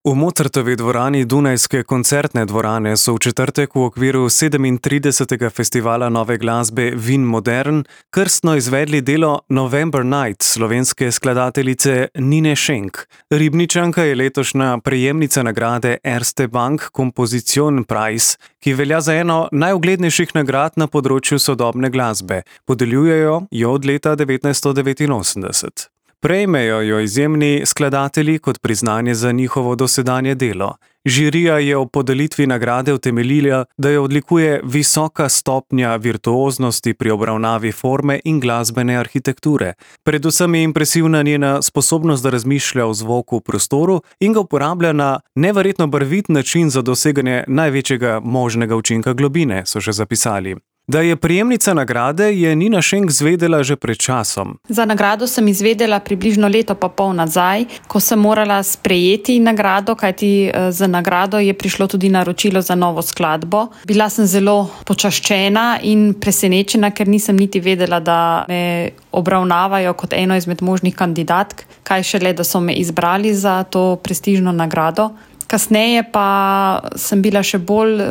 V Mozartovi dvorani Dunajske koncertne dvorane so v četrtek v okviru 37. festivala nove glasbe Vin Modern krstno izvedli delo November Night slovenske skladateljice Nine Schenk. Ribničanka je letošnja prejemnica nagrade Erste Bank Kompozition Prize, ki velja za eno najuglednejših nagrad na področju sodobne glasbe. Podeljujejo jo od leta 1989. Prejmejo jo izjemni skladatelji kot priznanje za njihovo dosedanje delo. Žirija je ob podelitvi nagrade utemeljila, da jo odlikuje visoka stopnja virtuoznosti pri obravnavi forme in glasbene arhitekture. Predvsem je impresivna njena sposobnost, da razmišlja o zvoku v prostoru in ga uporablja na neverjetno barvit način za doseganje največjega možnega učinka globine, so še zapisali. Da je prejemnica nagrade, je Nina Schenk zvedela že pred časom. Za nagrado sem izvedela približno leto pa pol nazaj, ko sem morala sprejeti nagrado, kajti za nagrado je prišlo tudi naročilo za novo skladbo. Bila sem zelo počaščena in presenečena, ker nisem niti vedela, da me obravnavajo kot eno izmed možnih kandidatk, kaj šele, da so me izbrali za to prestižno nagrado. Kasneje pa sem bila še bolj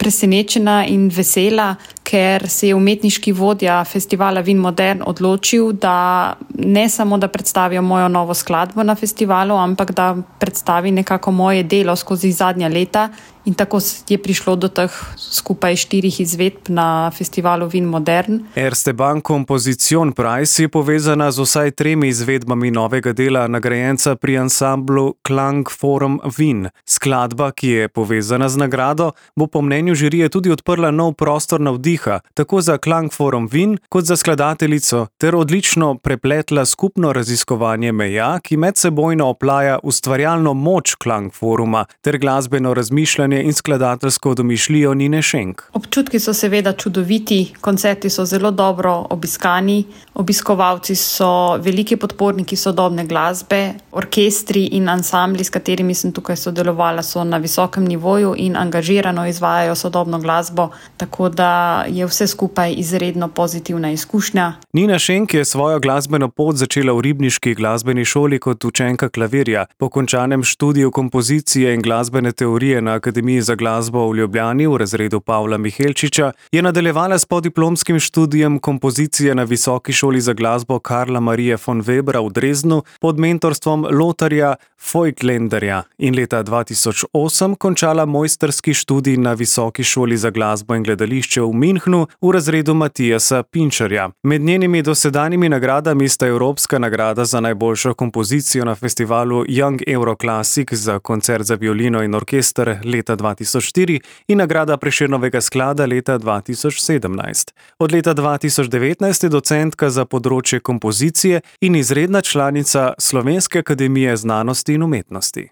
presenečena in vesela, ker se je umetniški vodja festivala Vin Modern odločil, da ne samo, da predstavijo mojo novo skladbo na festivalu, ampak da predstavi nekako moje delo skozi zadnja leta. In tako je prišlo do teh skupaj 4 izvedb na festivalu Vin Modern. Erste Bank Kompozition Prize je povezana z vsaj 3 izvedbami novega dela nagrajenca pri ansamblu Klangforum Wien. Skladba, ki je povezana z nagrado, bo po mnenju žirije tudi odprla nov prostor navdiha, tako za Klangforum Wien kot za skladateljico, ter odlično prepletla skupno raziskovanje meja, ki medsebojno oplaja ustvarjalno moč Klangforuma ter glasbeno razmišljanje in skladateljsko domišljijo Nine Schenk. Občutki so seveda čudoviti, koncerti so zelo dobro obiskani, obiskovalci so veliki podporniki sodobne glasbe, orkestri in ansambli, s katerimi sem tukaj sodelovala, so na visokem nivoju in angažirano izvajajo sodobno glasbo, tako da je vse skupaj izredno pozitivna izkušnja. Nina Schenk je svojo glasbeno pot začela v ribniški glasbeni šoli kot učenka klavirja. Po končanem študiju kompozicije in glasbene teorije na Akademiji za glasbo v Ljubljani v razredu Pavla Mihelčiča je nadaljevala s podiplomskim študijem kompozicije na Visoki šoli za glasbo Karla Marie von Webera v Dresdnu pod mentorstvom Lotharja Voigtlanderja in leta 2008 končala mojstrski študij na Visoki šoli za glasbo in gledališče v Münchnu v razredu Matijasa Pinčarja. Med njenimi dosedanjimi nagradami sta Evropska nagrada za najboljšo kompozicijo na festivalu Young Euroclassic za koncert za violino in orkester leta 2004 in nagrada Prešernovega sklada leta 2017. Od leta 2019 je docentka za področje kompozicije in izredna članica Slovenske akademije znanosti in umetnosti.